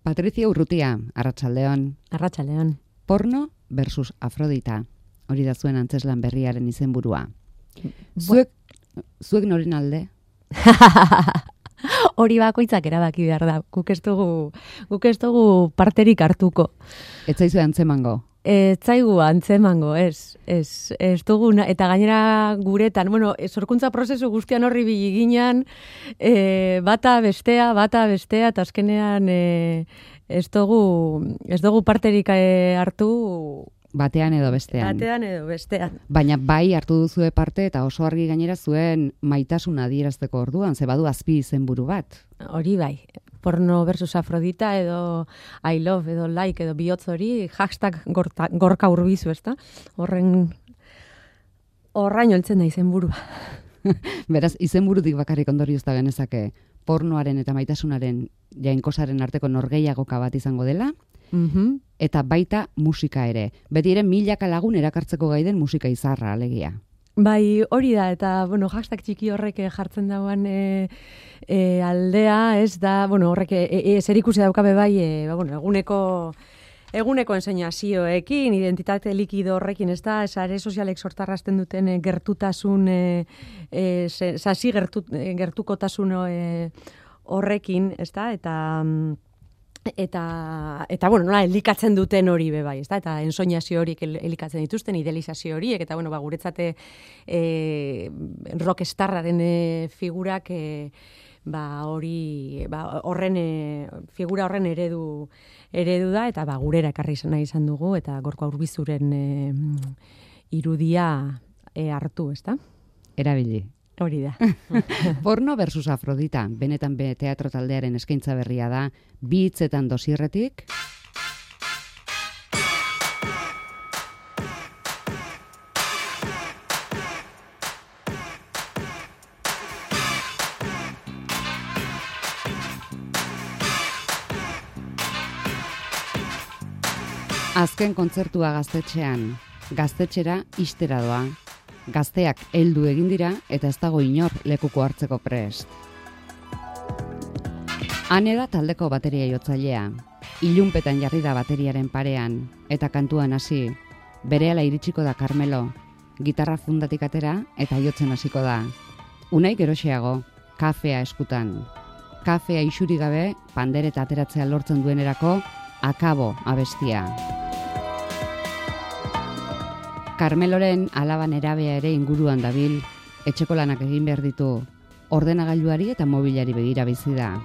Patricia Urrutia, arratsaldeon. Arratsaldeon. Porno versus Afrodita. Hori da zuen antzeslan berriaren izenburua. Zuek noren alde? Hori bakoitzak erabaki behar da. Guk ez dugu parterik hartuko. Ez zaizu antzemango? Ez zaigu antzemango, ez dugu, eta gainera guretan, sorkuntza prozesu guztian horri biliginan, bata bestea, eta azkenean ez dugu parterik hartu. Batean edo bestean. Baina bai hartu duzue parte eta oso argi gainera zuen maitasuna adierazteko orduan, ze badu azpi izenburu bat. Hori bai. Porno versus Afrodita edo I love edo like edo bihotz hori hashtag gorka urbizu, ezta? Horraino heltzen da izenburua. Beraz, izenburutik bakarrik ondoriozta genezake pornoaren eta maitasunaren jainkosaren arteko norgehiagoka bat izango dela, eta baita musika ere. Beti ere milaka lagun erakartzeko gaiden musika izarra, alegia. Bai, hori da, eta, hashtag txiki horrek jartzen dauan aldea, ez da, horrek zer ikusi daukabe bai, eguneko enseñazioekin, identitate likido horrekin, ez da, sare sozialek sortarrazten duten gertutasun, gertukotasun horrekin, ez da, eta nola elikatzen duten hori be bai, ezta? Eta ensoñazio horiek elikatzen dituzten, idealizazio horiek, eta guretzate rockstarraren figurak figura horren eredu da, eta gurera ekarri nahi izan dugu, eta Gorka Urbizuren irudia hartu, ezta? Erabili. Hori da. Porno versus Afrodita, benetan teatro taldearen eskaintza berria da, bi hitzetan dosierretik. Azken kontzertua gaztetxera ixtera doa. Gazteak heldu egin dira eta ez dago inor lekuko hartzeko prest. Hane da taldeko bateria jotzailea. Ilunpetan jarri da bateriaren parean eta kantuan hasi. Berehala iritsiko da Carmelo. Gitarra fundatik atera eta jotzen hasiko da. Unai geroxeago, kafea eskutan. Kafea isuri gabe pandereta ateratzea lortzen duenerako akabo abestia. Carmeloren alaba nerabea ere inguruan dabil, etxeko lanak egin behar ditu, ordenagailuari eta mobilari begira bizi da.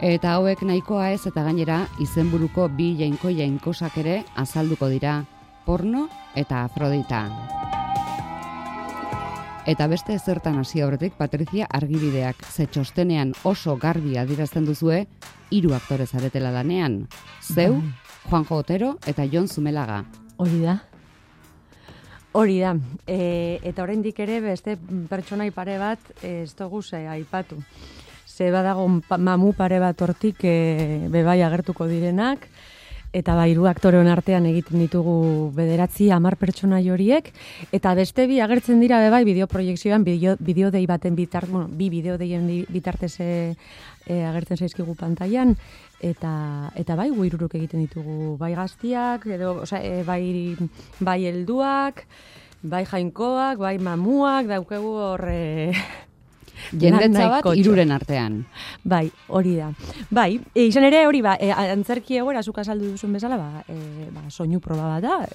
Eta hauek nahikoa ez eta gainera izenburuko bi jainkosak ere azalduko dira, porno eta Afrodita. Eta beste zertan hasi aurretik, Patricia, argibideak, ze txostenean oso garbi adierazten duzue, 3 aktore zaretela lanean. Zeu, Juanjo Otero eta Jon Zumelaga. Hori da. Eta oraindik ere beste pertsonai pare bat ez dugu aipatu. Ze badago mamu pare bat hortik bebai agertuko direnak, eta 3 aktoreon artean egiten ditugu 9-10 pertsonai horiek, eta beste 2 agertzen dira bebai bideoproiekzioan, bideodei baten bi bideodeien bitartez agertzen zaizkigu pantailan, eta bai guiruruk egiten ditugu, bai gaztiak, edo, bai helduak, bai jainkoak, bai mamuak, daukegu horre... Jendetza bat 3 artean. Bai, hori da. Bai, izan ere hori antzerki egoera zuk azaldu duzun bezala, soinu proba bat da,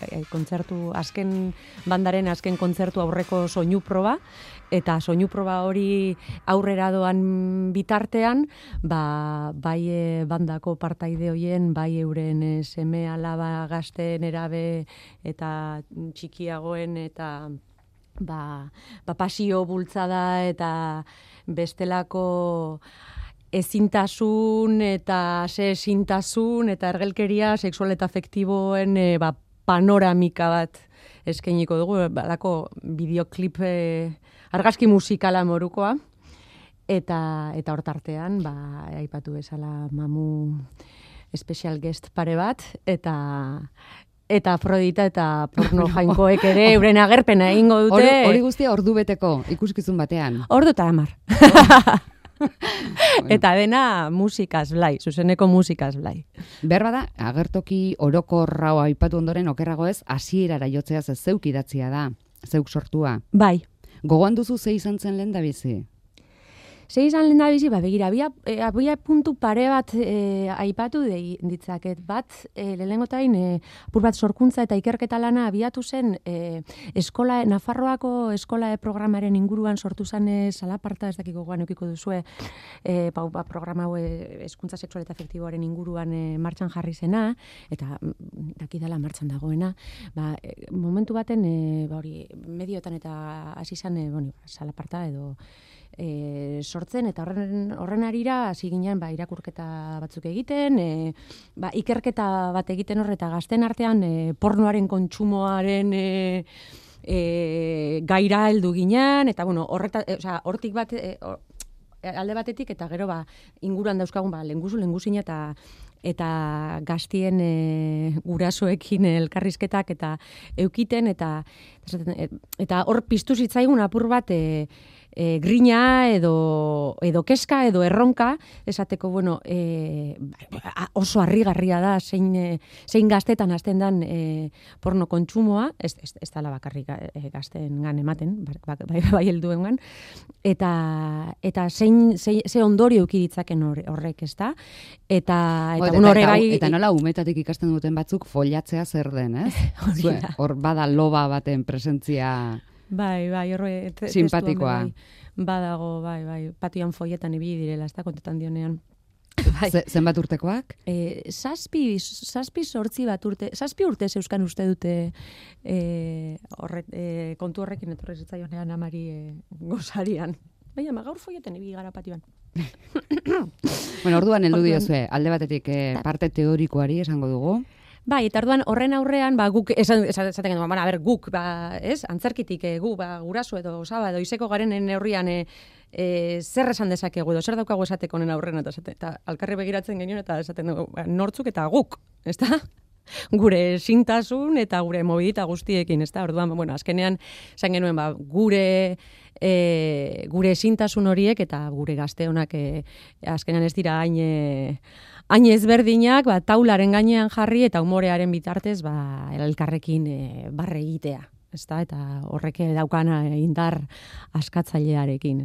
bandaren azken kontzertu aurreko soinu proba, eta soinu proba hori aurrera doan bitartean, bai bandako partaide hoien, bai euren seme alaba gazte nerabe eta txikiagoen eta pasio bultzada eta bestelako ezintasun eta ezintasun eta ergelkeria sexual eta afektiboen panoramika bat eskainiko dugu, balako bideoklip argazki musikala morukoa, eta hortartean, aipatu bezala mamu special guest pare bat, eta Afrodita eta porno jainkoek ere euren agerpena egingo dute. Hori guztia ordu beteko ikuskizun batean. Ordu eta 10. Eta dena musikaz blai, zuzeneko musikaz blai. Behar bada, agertoki orokorra aipatu ondoren okerrago ez, hasierara jotzeaz ez zeuk idatzia da, zeuk sortua. Bai. Gogoan duzu ze izan zen lehen da bizi? Ze izan lehen da bizi, begira, abia puntu pare bat aipatu ditzaket. Bat, lehenengotain, apur bat sorkuntza eta ikerketa lana abiatu zen Nafarroako eskola programaren inguruan sortu zen salaparta, ez dakiko gogoan eukiko duzue, programa hau hezkuntza sexual eta afektiboaren inguruan martxan jarri zena, eta dakidala martxan dagoena. Momentu baten, medioetan eta hasi zen, salaparta edo sortzen, eta horren arira hasi ginen irakurketa batzuk egiten, ikerketa bat egiten eta gazten artean pornoaren kontsumoaren gaira heldu ginen, eta hortik bat alde batetik, eta gero inguruan dauzkagun lengusina eta gaztien gurasoekin elkarrizketak eta eukiten, eta hor piztu zitzaigun apur bat grina edo keska edo erronka, esateko, oso harrigarria da zein gaztetan hasten dan porno kontsumoa, ez dela bakarrik gazteengan ematen, bai helduengan, eta ze ondorio eduki ditzaken horrek, ez da? Eta nola umetatik ikasten duten batzuk follatzea zer den, ez? Hor bada loba baten presentzia... Bai, horre... Simpatikoa. Badago, patioan folletan ibili direla, ez da, kontetan dionean. Zenbat urtekoak? 7 bat urte, 7 urte zeuskan uste dute kontu horrekin etorri zitzaionean amari gozarian. Baina, gaur folletan ibili gara patioan. Orduan heldu diozue, alde batetik parte teorikoari esango dugu. Bai, eta orduan horren aurrean, guk, esaten genuen, guk, antzerkitik, guraso edo osaba edo izeko garen neurrian zer esan dezakegu edo zer daukagu esateko honen aurren, eta alkarri begiratzen genuen, eta esaten dugu, nortzuk eta guk, ez da? Gure sintasun eta gure mobilita guztiekin, ez da? Orduan, azkenean, esan genuen, gure sintasun horiek eta gure gazte honak azkenean ez dira hain ezberdinak, taularen gainean jarri eta umorearen bitartez elkarrekin barre egitea. Eta horrek daukana indar askatzailearekin.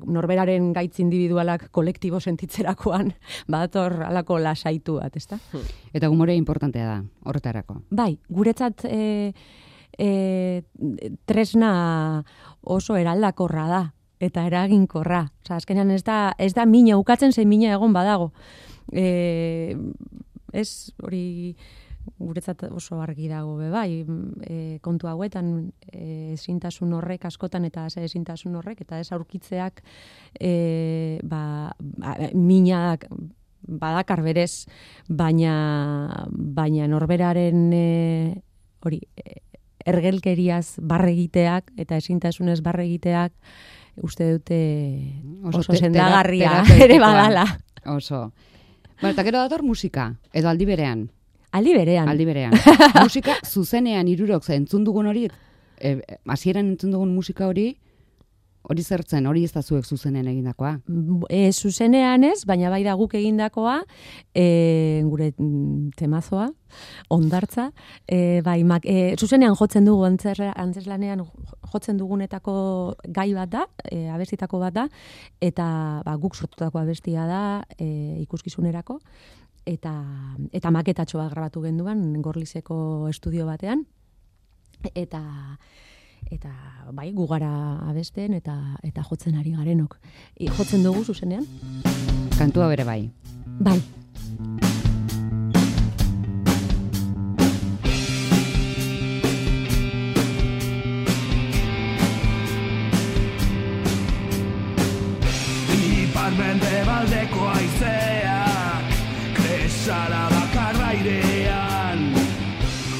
Norberaren gaitz individualak kolektibo sentitzerakoan bator alako lasaitu bat. Eta umorea importantea da, horretarako. Bai, guretzat tresna oso eraldakorra da eta eraginkorra. Azkenean ez da mina ukatzen, zein mina egon badago. Ez hori guretzat oso argi dago bai, kontu hauetan ezintasun horrek askotan eta ezintasun horrek eta ez aurkitzeak minak badakar berez, baina norberaren hori ergelkeriaz barre egiteak eta ezintasunez barre egiteak uste dute oso sendagarria ere badala. Oso. Eta gero dator musika, edo aldi berean. Aldi berean. Musika zuzenean hirurok entzun dugun hori, hasieran entzun dugun musika hori zertzen, hori ez da zuek zuzenean egindakoa? Zuzenean ez, baina bai da guk egindakoa, gure temazoa, ondartza, zuzenean jotzen dugu antzeslanean jotzen dugunetako gai bat da, abestitako bat da, eta guk sortutako abestia da ikuskizunerako, eta maketatxoa grabatu genduan Gorlizeko estudio batean, eta bai, gu gara abesten eta jotzen ari garenok. Jotzen dugu zuzenean? Kantua bere bai. Bai. Ipar-mende baldeko aizeak kresala bakarra airean,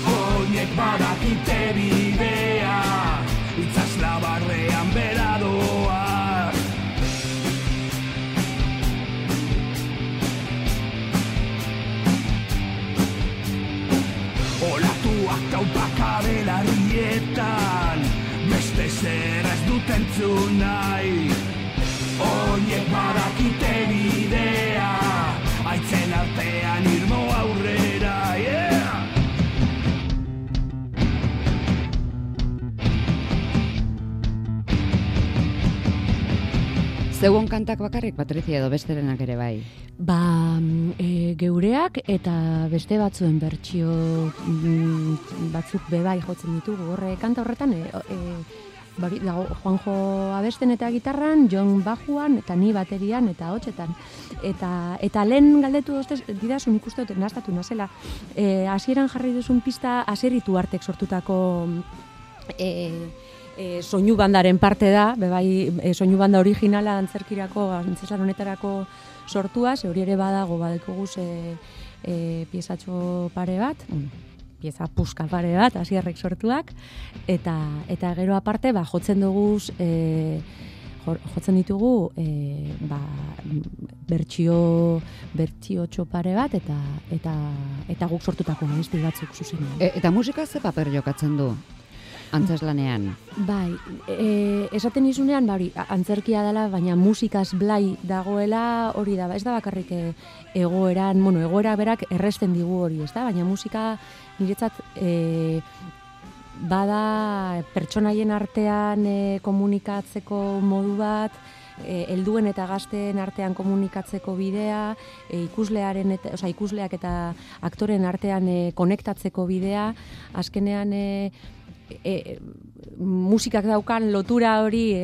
oinek badakite bidea, itzazla barrean beradoa. Olatuak taupaka belarrietan, beste zer ez dut entzun nahi, oinek badakite Zeuon kantak bakarrik, Patrizia, edo besterenak ere bai? Geureak eta beste batzuen bertsio batzuk bebai jotzen ditugu. Horre, kanta horretan, dago Juanjo abesten eta gitarran, Jon bajuan, eta ni baterian eta hotxetan. Eta lehen galdetu didazu nik uste dut nahastatu nazela. Hasieran jarri duzun pista Asierritu artek sortutako soinu bandaren parte da, bebai soinu banda originala antzeslan honetarako sortua, ze hori ere badago badekoguz piezatxo pare bat, pieza puska pare bat, Asierrek sortuak, eta gero aparte jotzen duguz jotzen ditugu bertsio txopare bat eta guk sortutako abesti batzuk zuzenean. Eta musika ze paper jokatzen du antzeslanean? Bai, esaten izunean, antzerkia dela, baina musikaz blai dagoela hori da, ez da bakarrik egoera berak erresten digu hori, ez da, baina musika niretzat bada pertsonaien artean komunikatzeko modu bat, helduen eta gazteen artean komunikatzeko bidea, ikusleak eta aktoren artean konektatzeko bidea, azkenean musikak daukan lotura hori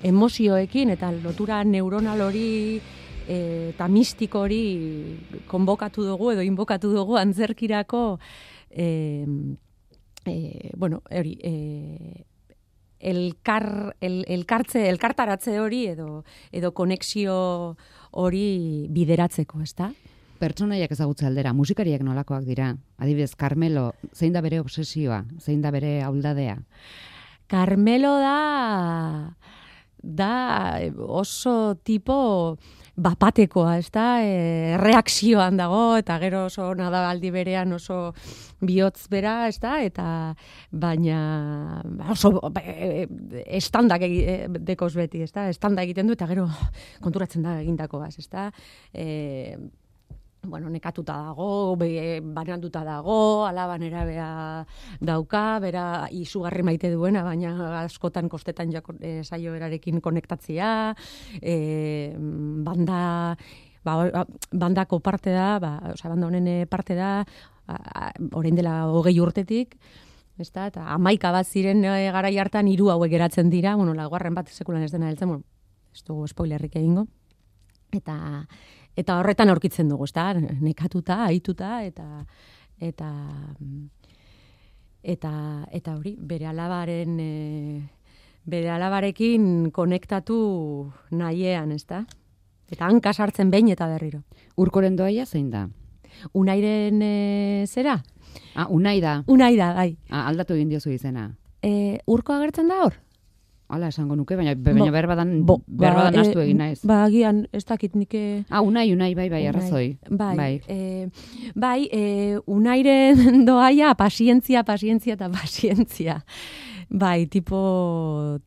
emozioekin eta lotura neuronal hori eta mistiko hori konbokatu dugu edo inbokatu dugu antzerkirako elkartaratze hori edo konexio hori bideratzeko, ezta? Pertsonaiak ezagutze aldera, musikariak nolakoak dira? Adibidez, Carmelo, zein da bere obsesioa? Zein da bere auldadea? Carmelo da oso tipo bapatekoa, ez da? Reakzioan dago, eta gero oso nadabaldi berean oso bihotz bera, ez da? Eta baina oso estandak dekoz beti, ez da? Estanda egiten du, eta gero konturatzen da egindakoaz, ez da? Nekatuta dago, bananduta dago, alaban erabea dauka, bera izugarri maite duena, baina askotan kostetan saio berarekin konektatzea, bandako parte da, banda honen parte da, orain dela 20 urtetik, eta 11 bat ziren garai hartan 3 hauek geratzen dira, laugarren bat sekulan ez dena heltzen, ez dugu spoilerrik egingo, eta horretan aurkitzen dugu, ezta? Nekatuta, ahituta eta hori bere alabarekin konektatu nahiean, ezta? Eta hanka sartzen behin eta berriro. Urkoren doaia zein da? Unairen zera? Unai da. Unai da, bai. Aldatu egin diozu izena. Urko agertzen da hor? Hala esango nuke, baina berbadan astu egin naiz. Agian, ez dakit nike... Unai, bai, arrazoi. Bai, Unairen doaia, pazientzia eta pazientzia. Bai, tipo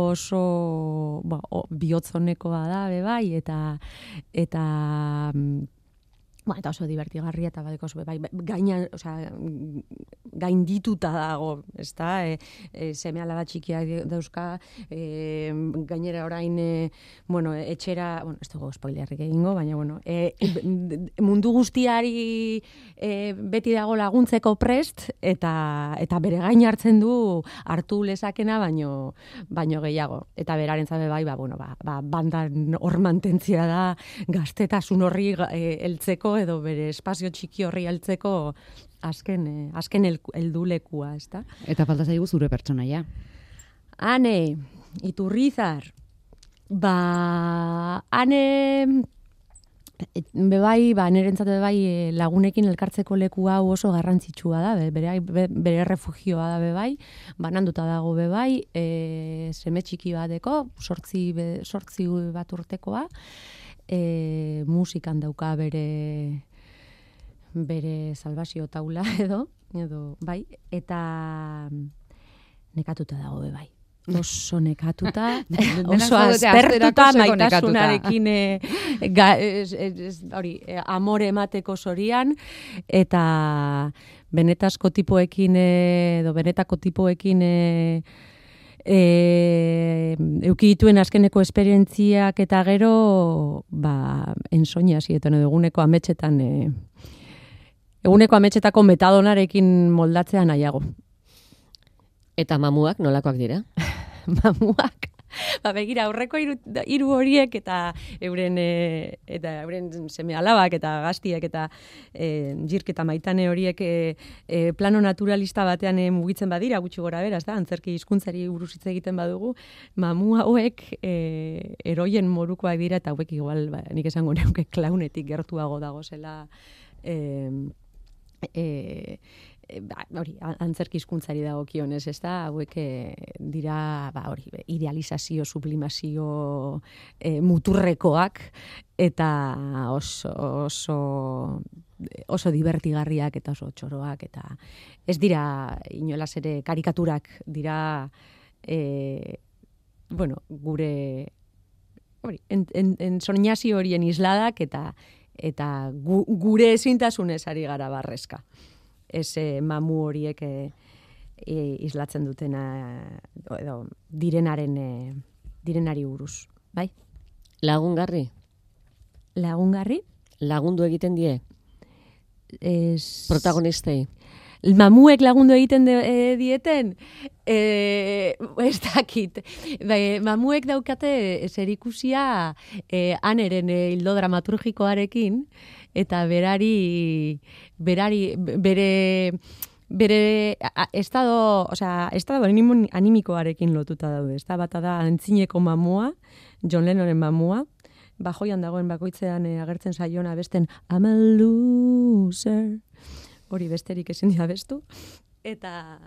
oso bihotzonekoa da, bai, eta oso divertigarria eta badeko oso, bai, gaindituta dago, ezta? Seme alaba txikiak dauzka, gainera orain, etxera, ez dugu spoilerrik egingo, baina, mundu guztiari beti dago laguntzeko prest, eta bere gain hartzen du hartu lezakena, baino gehiago. Eta beraren zabe bai, bandan hor mantentzia da, gaztetasun horri heltzeko, edo bere espazio txiki horri heltzeko azken heldulekua, ezta? Eta falta zaigu zure pertsonaia. Ane, Iturrizar. Ane bebai, nirentzat bebai lagunekin elkartzeko leku hau oso garrantzitsua da, bere refugioa da bebai, bananduta dago bebai, seme txiki bateko, 8 bat urtekoa, musikan dauka bere salbazio taula edo bai, eta nekatuta dago bai. Oso nekatuta, oso aspertuta maitasunarekin amore emateko zorian, eta benetako tipoekin Euki dituen azkeneko esperientziak eta gero, ensoña zietan edo eguneko ametsetako metadonarekin moldatzea nahiago. Eta mamuak nolakoak dira? Mamuak, begira, aurreko hiru horiek eta euren seme alabak eta gaztiek eta Jirk eta Maitane horiek plano naturalista batean mugitzen badira, gutxi gora bera, antzerki hizkuntzari buruz hitz egiten badugu, mamu hauek eroien morukoak dira eta hauek igual, nik esango neuke klaunetik gertuago dagozela antzerki hizkuntzari dagokionez, hauek dira, idealizazio, sublimazio muturrekoak eta oso divertigarriak eta oso txoroak eta ez dira inolaz ere karikaturak dira gure ensoñazio horien isladak eta gure ezintasunez ari gara barrezka. Mamu horiek islatzen dutena edo direnari buruz, bai? Lagungarri? Lagundu egiten die? Protagonistei? Mamuek lagundu egiten dieten? Ez dakit. Mamuek daukate zerikusia aneren hildo dramaturgikoarekin, eta bere estado animikoarekin lotuta daude. Bata da antzineko mamua, John Lennonen mamua, bajoian dagoen bakoitzean agertzen saiona besten I'm a loser. Hori besterik ezin dira bestu. Eta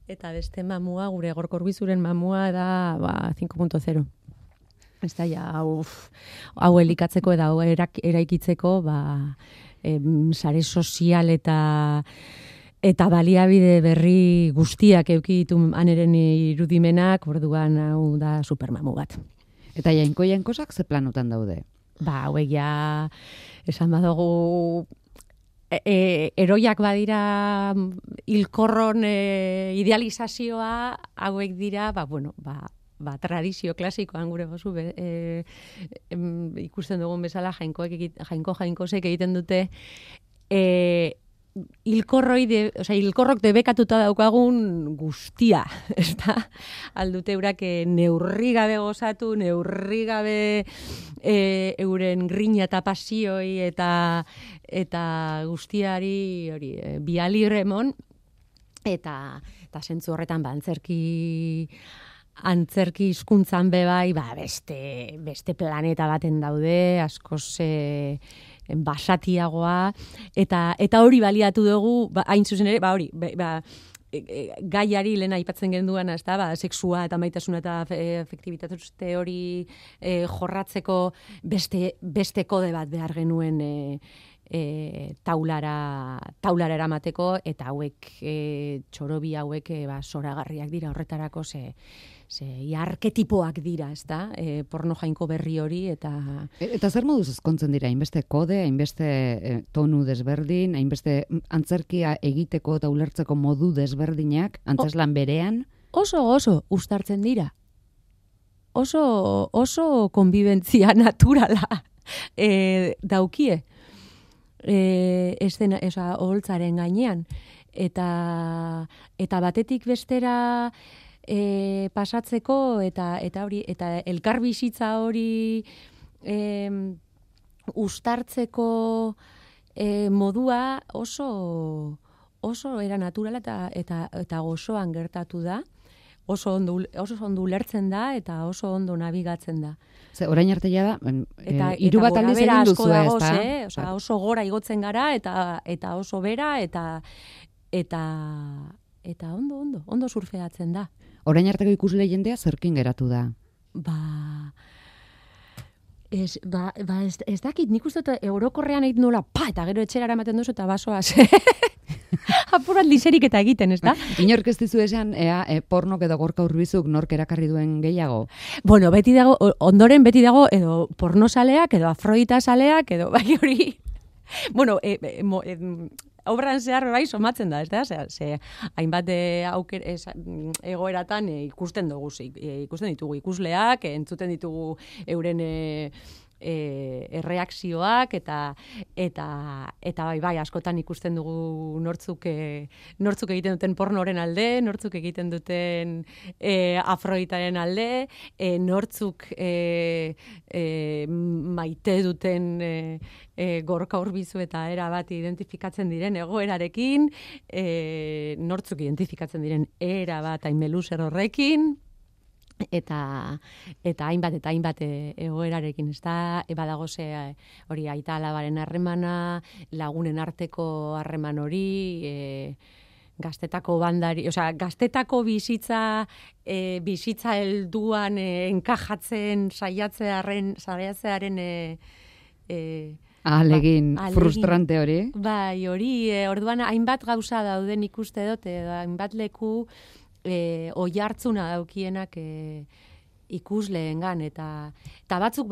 beste mamua, gure Gorka Urbizuren mamua da 5.0. Ez da, hau elikatzeko eta hau eraikitzeko, sare sozial eta baliabide berri guztiak eduki ditu aneren irudimenak, orduan hau da supermamu bat. Eta jainkosak ze planutan daude? Hauek ja, esan badugu, eroiak badira hilkorron idealizazioa, hauek dira, tradizio klasikoan gure gozu ikusten dugun bezala jainkosek egiten dute hilkorrok debekatuta daukagun guztia, ezta? Aldute eurak neurri gabe gozatu, neurri gabe euren grina eta pasioi eta guztiari bialirremon eta zentzu horretan antzerki hizkuntzan bebai, beste planeta baten daude, askoz basatiagoa, eta hori baliatu dugu, hain zuzen ere, gaiari lehen aipatzen genduan, sexua eta maitasuna eta efektibitate hori jorratzeko beste kode bat behar genuen taulara eramateko, eta hauek txorobi hauek zoragarriak dira horretarako ze arketipoak dira, ezta? Porno jainko berri hori eta zer moduz ezkontzen dira, hainbeste kode, hainbeste tonu desberdin, hainbeste antzerkia egiteko eta ulertzeko modu desberdinak, antzeslan berean? Oso uztartzen dira. Oso konbibentzia naturala daukie. Oholtzaren gainean. Eta batetik bestera pasatzeko eta elkarbizitza hori uztartzeko modua oso era naturala eta gozoan gertatu da. Oso ondo ulertzen da eta oso ondo nabigatzen da. Orain arte ja da, hiru bat aldiz egin duzu, ezta? Oso gora igotzen gara eta oso bera eta ondo surfeatzen da. Orain arteko ikusle jendea zerkin geratu da? Ez dakit, nik uste orokorrean egiten nola, eta gero etxera eramaten duzu eta basoaz. Apurat liserik eta egiten, ez da? Inork ez dizu esan, pornok edo Gorka Urbizuk nork erakarri duen gehiago? Bueno, ondoren beti dago, edo pornosaleak, edo afrodita saleak, edo bai hori. Bueno, obran zehar bai somatzen da, ez da? Ze hainbat egoeratan ikusten ditugu ikusleak, entzuten ditugu euren erreakzioak eta bai askotan ikusten dugu nortzuk egiten duten pornoren alde, nortzuk egiten duten afroditaren alde, nortzuk maite duten Gorka Urbizu eta era bat identifikatzen diren egoerarekin, nortzuk identifikatzen diren era bat Aimeluzer horrekin, eta hainbat egoerarekin, ez da, badago hori aita alabaren harremana, lagunen arteko harreman hori, gaztetako bandari, gaztetako bizitza helduan enkajatzen saiatzearen ahalegin frustrante hori. Bai, hori, orduan hainbat gauza dauden ikuste dut, hainbat leku oihartzuna daukienak ikusleengan eta batzuk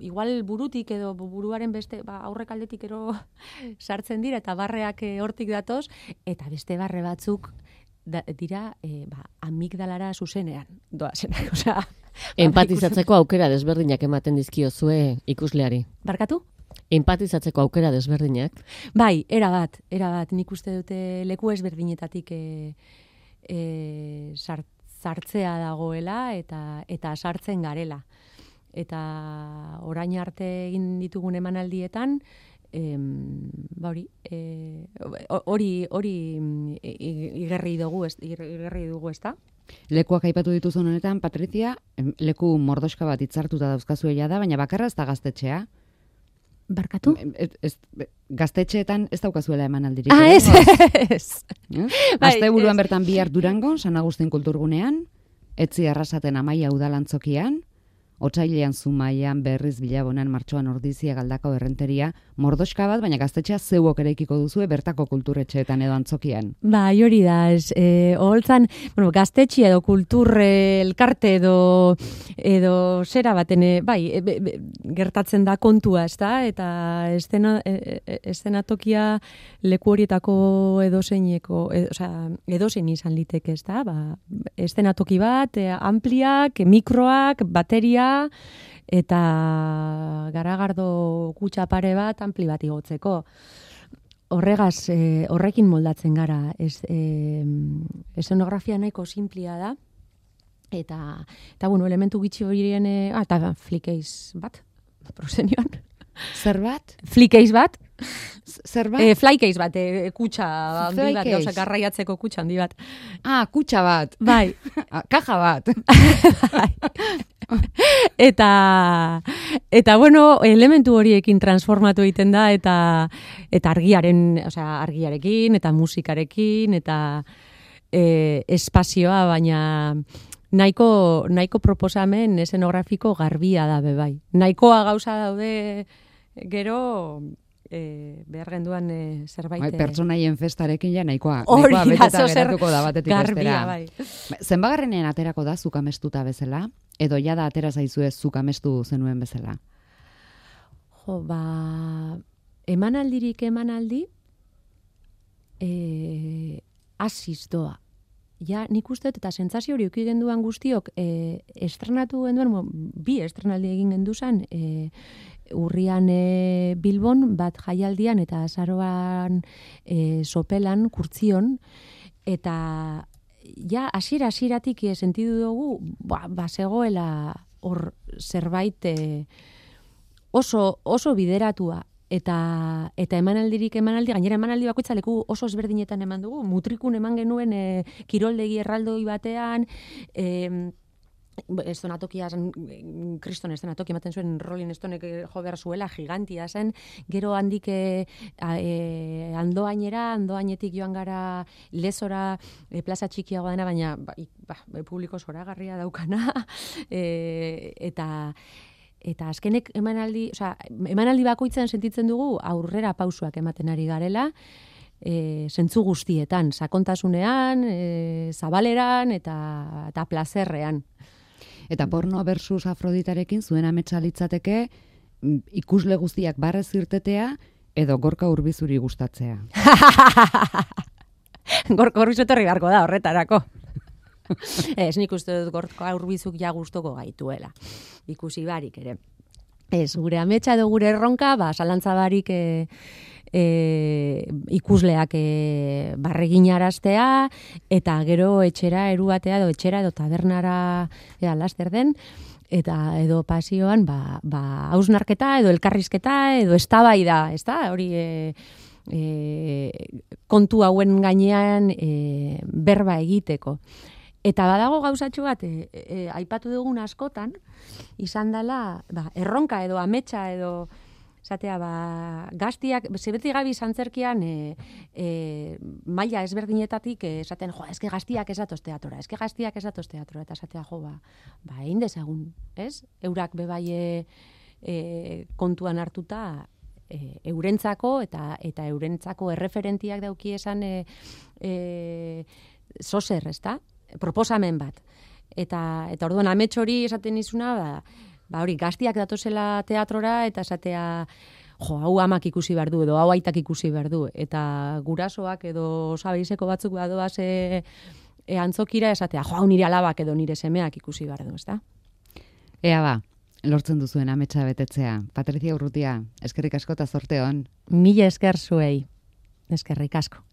igual burutik edo buruaren beste aurrek aldetik ero sartzen dira eta barreak hortik datoz eta beste barre batzuk dira amigdalara zuzenean doazenak, empatizatzeko aukera desberdinak ematen dizkiozue ikusleari. Barkatu? Empatizatzeko aukera desberdinak. Bai, erabat, nik uste dute leku ezberdinetatik sartzea dagoela eta sartzen garela. Eta orain arte egin ditugun emanaldietan, hori igerri dugu, ezta? Lekuak aipatu dituzun honetan, Patrizia, leku mordoska bat hitzartuta dauzkazuela da, baina bakarra ez da gaztetxea. Barkatu? Gaztetxeetan ez daukazuela emanaldirik. Ez. Asteburuan bertan bihar Durangon, San Agustin kulturgunean, Etzi Arrasaten Amaia udalantzokian, Otsailean Zumaian, Berriz Bilabonan, Martxoan Ordizia, Galdakao Errenteria, mordoska bat, baina gaztetxea zeuok eraikiko duzue bertako kulturetxeetan edo antzokian. Bai, hori da, oholtzan, gaztetxea edo kultur elkarte edo zera baten, gertatzen da kontua, ez da? Eta eszenatokia leku horietako edozein izan liteke, ez da? Eszenatoki bat, ampliak, mikroak, bateria, eta garagardo kutxa pare bat ampli bat igotzeko. Horrekin moldatzen gara. Eszenografia nahiko simplia da. Eta elementu gitxi horien, eta flikeiz bat, prosenioan. Zer bat? Flikeiz bat. Zer bat? Flykeiz bat, kutxa handi bat, gauza garraiatzeko kutxa handi bat. Kutxa bat. Bai. Kaja bat. Bai. Eta elementu horiekin transformatu egiten da eta argiarekin eta musikarekin eta espazioa, baina nahiko proposamen eszenografiko garbia da bai. Nahikoa gauza daude gero behar genduan zerbait. Pertsonaien festarekin ja nahikoa beteta geratuko da batetik bestera. Bai. Zenbagarrenean aterako da zuk amestuta bezala? Edo jada atera zaizue zuk amestu zenuen bezala? Emanaldirik emanaldi asiz doa. Ja, nik uste eta sentsazio hori uki genduan guztiok estrenatu genduan, bi estrenaldi egin genduzan, urrian Bilbon, bat jaialdian eta azaroan sopelan, kurtzion, eta ja, hasieratik sentidu dugu, zegoela hor zerbait oso bideratua. Eta emanaldi, gainera emanaldi bakoitza leku oso ezberdinetan eman dugu. Mutrikun eman genuen kiroldegi erraldoi batean, estonatokia, kriston estonatoki ematen zuen Rolling Stonek jo behar zuela, gigantia zen, gero handik andoainetik joan gara lezora, plaza txikiagoa dena, baina publiko zoragarria daukana, eta azkenek emanaldi bakoitzan sentitzen dugu aurrera pausuak ematen ari garela, zentzu guztietan, sakontasunean, zabaleran eta plazerrean. Eta porno versus Afroditarekin zuen ametsa litzateke ikusle guztiak barrez irtetea edo Gorka Urbizuri gustatzea? Gorka Urbizu etorri beharko da horretarako. Ez, nik uste dut Gorka Urbizuk ja gustoko gaituela. Ikusi barik ere. Ez, gure ametsa edo gure erronka, zalantza barik ikusleak barreginaraztea, eta gero etxera eruatea edo etxera edo tabernara laster den, eta edo pasioan hausnarketa edo elkarrizketa edo eztabaida, ezta? Hori kontu hauen gainean berba egiteko. Eta badago gauzatxo bat, aipatu dugun askotan, izan dela erronka edo ametsa edo zatea, gaztiak, zebeti gabi zantzerkian maila ezberdinetatik esaten, eske gaztiak ez datoz teatora, eta zatea, egin dezagun, ez? Eurak bebai kontuan hartuta eurentzako eta eurentzako erreferentiak dauki esan zozer, ezta? Proposamen bat. Eta orduan amets hori esaten izuna, hori gaztiak datozela teatrora eta esatea, hau amak ikusi behar du, edo hau aitak ikusi behar du, eta gurasoak edo sabeizeko batzuk badoaz antzokira esatea, hau nire alabak edo nire semeak ikusi behar du, ezta? Ea lortzen duzuen ametsa betetzea. Patricia Urrutia, eskerrik asko eta zorte on. Mila esker zuei. Eskerrik asko.